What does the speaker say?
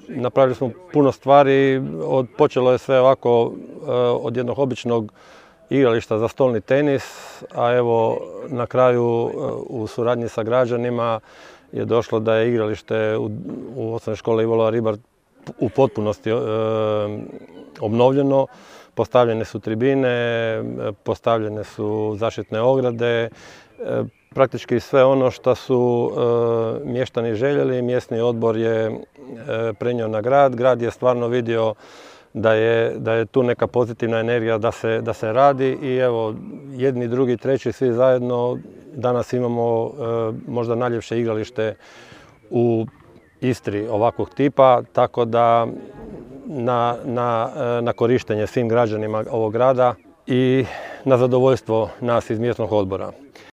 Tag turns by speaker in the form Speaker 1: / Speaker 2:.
Speaker 1: napravili smo puno stvari, počelo je sve ovako od jednog običnog igrališta za stolni tenis, a evo na kraju u suradnji sa građanima je došlo da je igralište u osnovnoj školi Ivo Ribar u potpunosti obnovljeno. Postavljene su tribine, postavljene su zaštitne ograde, praktički sve ono što su mještani željeli. Mjesni odbor je prenio na grad. Grad je stvarno vidio da je tu neka pozitivna energija da se radi i evo jedni, drugi, treći, svi zajedno danas imamo možda najljepše igralište u Istri ovakvog tipa, tako da na korištenje svim građanima ovog grada i na zadovoljstvo nas iz mjesnog odbora.